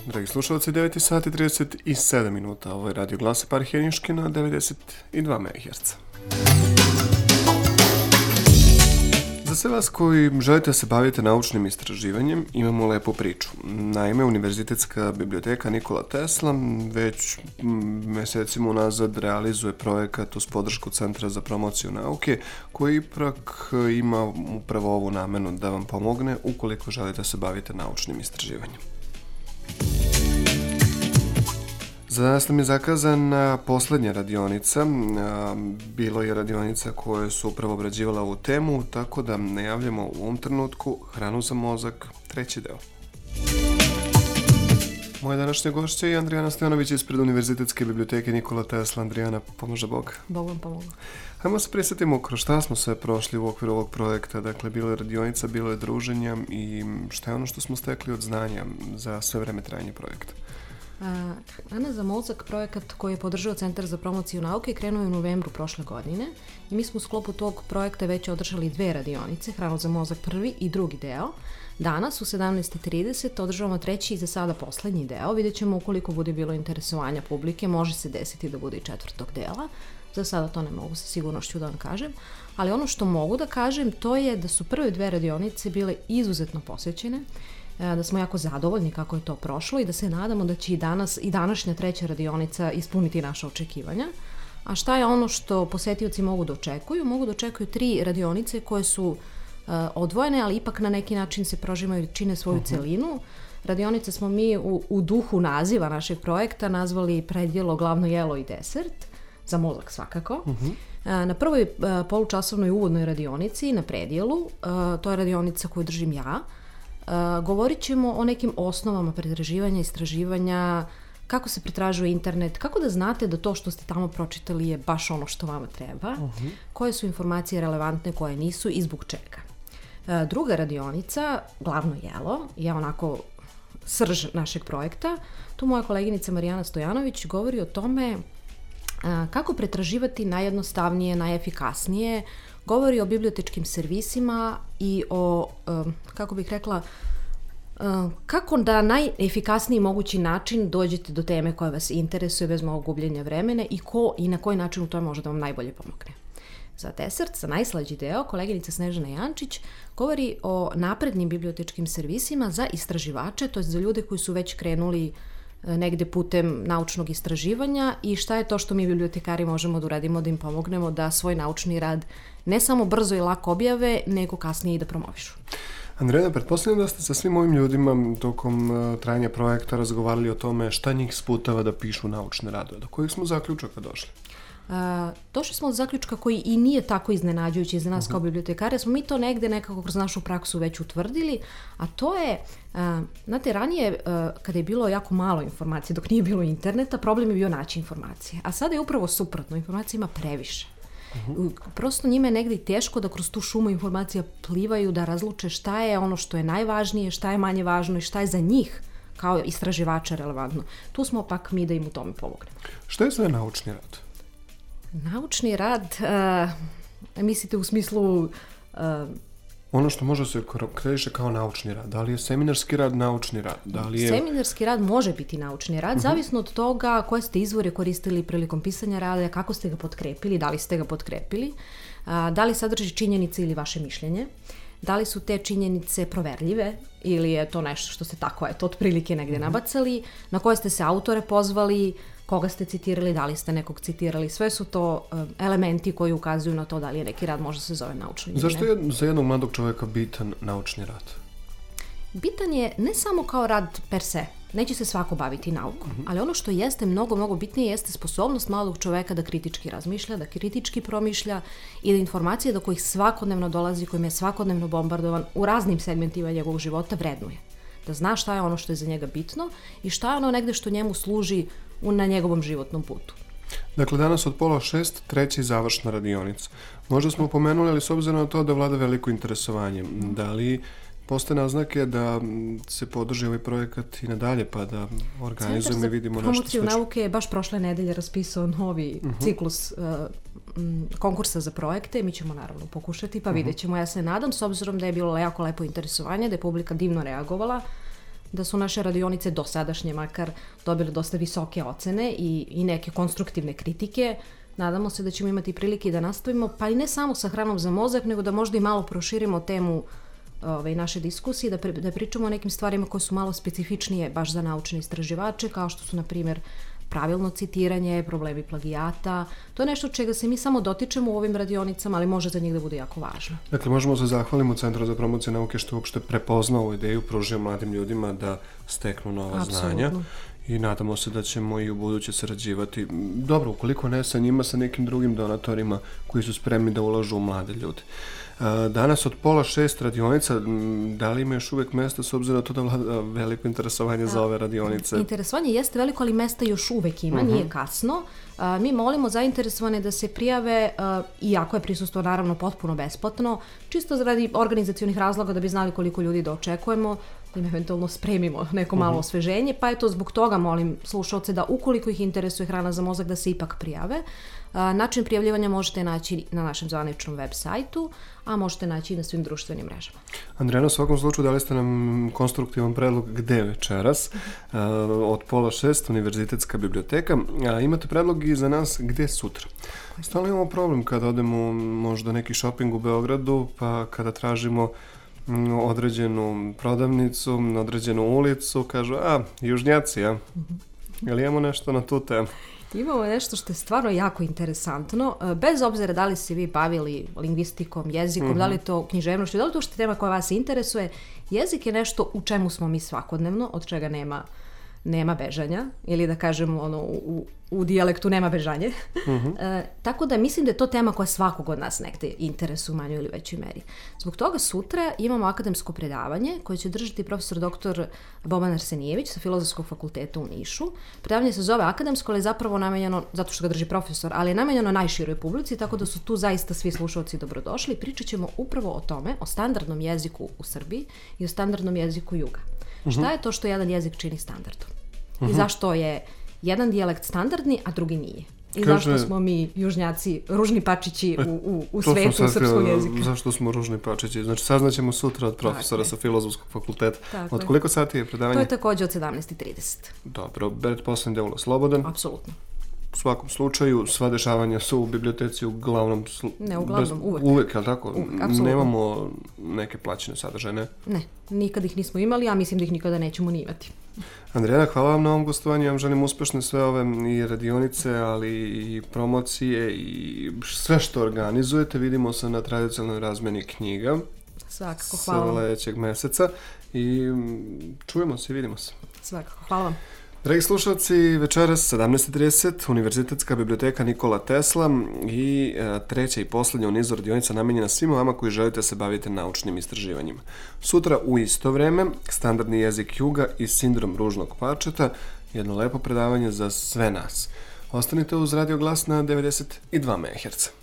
Dragi slušalci, 9 sati 37 minuta. Ovo je Radio Glas Eparhije Niške na 92 MHz. Za sve vas koji želite se baviti naučnim istraživanjem, imamo lepu priču. Naime, Univerzitetska biblioteka Nikola Tesla već mesecima unazad realizuje projekat uz podršku Centra za promociju nauke, koji ipak ima upravo ovu namenu da vam pomogne ukoliko želite se baviti naučnim istraživanjem. Za danas nam je zakazana poslednja radionica. Bilo je radionica koje su upravo obrađivala ovu temu, tako da najavljamo u ovom trenutku Hranu za mozak, 3. deo. Moja današnja gošća je Andrijana Stojanović ispred Univerzitetske biblioteke Nikola Tesla. Andrijana, pomože Bog. Bog vam pomogu. Hajmo se prisjetimo kroz šta smo sve prošli u okviru ovog projekta. Dakle, bilo je radionica, bilo je druženja i šta je ono što smo stekli od znanja za sve vreme trajanja projekta? Hrana za mozak, projekat koji je podržao Centar za promociju nauke, krenuo je u novembru prošle godine i mi smo u sklopu tog projekta već održali 2 radionice, Hranu za mozak prvi i drugi deo. Danas u 17:30 održavamo 3. i za sada poslednji deo. Vidjet ćemo ukoliko bude bilo interesovanja publike, može se desiti da bude i 4. dela. Za sada to ne mogu sa sigurnošću da vam kažem, ali ono što mogu da kažem to je da su prve 2 radionice bile izuzetno posvećene, da smo jako zadovoljni kako je to prošlo i da se nadamo da će i današnja 3. radionica ispuniti naše očekivanja. A šta je ono što posetioci mogu da očekuju? Mogu da očekuju 3 radionice koje su odvojene, ali ipak na neki način se prožimaju i čine svoju celinu. Radionice smo mi u duhu naziva našeg projekta nazvali predjelo, glavno jelo i desert, za mozak svakako. Na prvoj polučasovnoj uvodnoj radionici, na predjelu, to je radionica koju držim ja, govorit ćemo o nekim osnovama pretraživanja, istraživanja, kako se pretražuje internet, kako da znate da to što ste tamo pročitali je baš ono što vama treba, koje su informacije relevantne, koje nisu i zbog čega. Druga radionica, glavno jelo, je onako srž našeg projekta. Tu moja koleginica Marijana Stojanović govori o tome kako pretraživati najjednostavnije, najefikasnije, govori o bibliotečkim servisima i o, kako bih rekla, kako da najefikasniji mogući način dođete do teme koja vas interesuje bez mnogo gubljenja vremena i ko i na koji način u tome može da vam najbolje pomogne. Za desert, za najslađi deo, koleginica Snežana Jančić govori o naprednim bibliotečkim servisima za istraživače, to je za ljude koji su već krenuli negde putem naučnog istraživanja i šta je to što mi bibliotekari možemo da uradimo da im pomognemo da svoj naučni rad ne samo brzo i lako objave, nego kasnije i da promovišu. Andrijana, pretpostavljam da ste sa svim ovim ljudima tokom trajanja projekta razgovarali o tome šta njih sputava da pišu naučne radove. Do kojih smo zaključaka došli? Došli smo od zaključka koji i nije tako iznenađujući za nas kao bibliotekare, smo mi to negde nekako kroz našu praksu već utvrdili, a to je, znate, ranije kada je bilo jako malo informacije, dok nije bilo interneta, problem je bio naći informacije, a sada je upravo suprotno, informacija ima previše. Prosto njima je negde teško da kroz tu šumu informacija plivaju, da razluče šta je ono što je najvažnije, šta je manje važno i šta je za njih kao istraživača relevantno. Tu smo pak mi da im u tome pomognemo. Šta je sve naučni rad? Naučni rad, mislite u smislu... Ono što može se krediše kao naučni rad. Da li je seminarski rad naučni rad? Seminarski rad može biti naučni rad, zavisno od toga koje ste izvore koristili prilikom pisanja rada, kako ste ga potkrepili, da li ste ga potkrepili, da li sadrži činjenice ili vaše mišljenje, da li su te činjenice proverljive ili je to nešto što ste tako, otprilike negde nabacali, na koje ste se autore pozvali, koga ste citirali, da li ste nekog citirali, sve su to elementi koji ukazuju na to da li je neki rad možda se zove naučni. Zašto je za jednog mladog čovjeka bitan naučni rad? Bitan je ne samo kao rad per se, neće se svako baviti naukom, ali ono što jeste mnogo bitnije jeste sposobnost mladog čoveka da kritički razmišlja, da kritički promišlja i da informacije do kojih svakodnevno dolazi, kojim je svakodnevno bombardovan u raznim segmentima njegovog života vrednuje. Da zna šta je ono što je za njega bitno i šta je ono negde što njemu služi na njegovom životnom putu. Dakle, danas od 5:30, 3. završna radionica. Možda smo pomenuli, ali s obzirom na to da vlada veliko interesovanje, da li postoje naznake da se podrži ovaj projekat i nadalje, pa da organizujemo i vidimo nešto slično. Centar za promociju nauke je baš prošle nedelje raspisao novi ciklus konkursa za projekte. Mi ćemo naravno pokušati, pa vidjet ćemo. Ja se nadam, s obzirom da je bilo jako lepo interesovanje, da je publika divno reagovala, da su naše radionice dosadašnje makar dobile dosta visoke ocene i neke konstruktivne kritike. Nadamo se da ćemo imati prilike da nastavimo, pa i ne samo sa hranom za mozak, nego da možda i malo proširimo temu naše diskusije, da pričamo o nekim stvarima koje su malo specifičnije baš za naučne istraživače, kao što su, na primjer, pravilno citiranje, problemi plagijata. To je nešto čega se mi samo dotičemo u ovim radionicama, ali može za njih da bude jako važno. Dakle, možemo se zahvalimo Centru za promociju nauke što uopšte prepoznao ovu ideju, pružio mladim ljudima da steknu nova znanja. I nadamo se da ćemo i u buduće sarađivati. Dobro, ukoliko ne sa njima, sa nekim drugim donatorima koji su spremni da ulažu u mlade ljude. Danas od 5:30 radionica, da li ima još uvek mesta s obzirom na to da vlada veliko interesovanje za ove radionice? Interesovanje jeste veliko, ali mesta još uvek ima, nije kasno. Mi molimo zainteresovane da se prijave, iako je prisustvo naravno potpuno besplatno, čisto radi organizacionih razloga da bi znali koliko ljudi da očekujemo, da im eventualno spremimo neko malo osveženje, pa eto zbog toga molim slušalce da ukoliko ih interesuje hrana za mozak da se ipak prijave. Način prijavljivanja možete naći na našem zvaničnom web sajtu, a možete naći i na svim društvenim mrežama. Andrijana, u svakom slučaju dali ste nam konstruktivan predlog gde večeras, od 5:30 Univerzitetska biblioteka, a imate predlog i za nas gde sutra. Stalno imamo problem kada odemo možda neki shopping u Beogradu, pa kada tražimo određenu prodavnicu, određenu ulicu, kažu, južnjaci, Jel imamo nešto na tu temu? Imamo nešto što je stvarno jako interesantno, bez obzira da li se vi bavili lingvistikom, jezikom, da li je to književnošću, da li je to što je tema koja vas interesuje. Jezik je nešto u čemu smo mi svakodnevno, od čega nema bežanja, ili da kažemo u dijalektu nema bežanje. Tako da mislim da je to tema koja svakog od nas negde interesuje u manjoj ili većoj meri. Zbog toga sutra imamo akademsko predavanje koje će držati profesor dr. Boban Arsenijević sa Filozofskog fakulteta u Nišu. Predavanje se zove akademsko, ali je zapravo namenjeno, zato što ga drži profesor, ali je namenjeno najširoj publici, tako da su tu zaista svi slušalci dobrodošli. Pričat ćemo upravo o tome, o standardnom jeziku u Srbiji i o standardnom jeziku juga. Šta je to što jedan jezik čini standardom? I zašto je jedan dijalekt standardni, a drugi nije? I zašto smo mi južnjaci ružni pačići u svetu srpskog jezika? Zašto smo ružni pačići? Znači, saznaćemo sutra od profesora sa Filozofskog fakulteta. Od koliko sati je predavanje? To je također od 17:30. Dobro, pretpostavljam da je ulaz slobodan. Apsolutno. U svakom slučaju, sva dešavanja su u biblioteci uglavnom... Ne, uglavnom, uvek. Uvek, je li tako? Uvek, apsolutno. Nemamo neke plaćene sadržaje, ne? Nikad ih nismo imali, a mislim da ih nikada nećemo ni imati. Andrijana, hvala vam na ovom gostovanju. Ja vam želim uspešne sve ove i radionice, ali i promocije i sve što organizujete. Vidimo se na tradicionalnoj razmeni knjiga. Svakako, hvala vam. Sledećeg meseca i čujemo se i vidimo se. Svakako, hvala vam. Dragi slušalci, večeras 17:30 Univerzitetska biblioteka Nikola Tesla i treća i poslednja u nizu radionica namenjena svima vama koji želite se baviti naučnim istraživanjima. Sutra u isto vreme standardni jezik juga i sindrom ružnog pačeta, jedno lepo predavanje za sve nas. Ostanite uz Radio Glas na 92 MHz.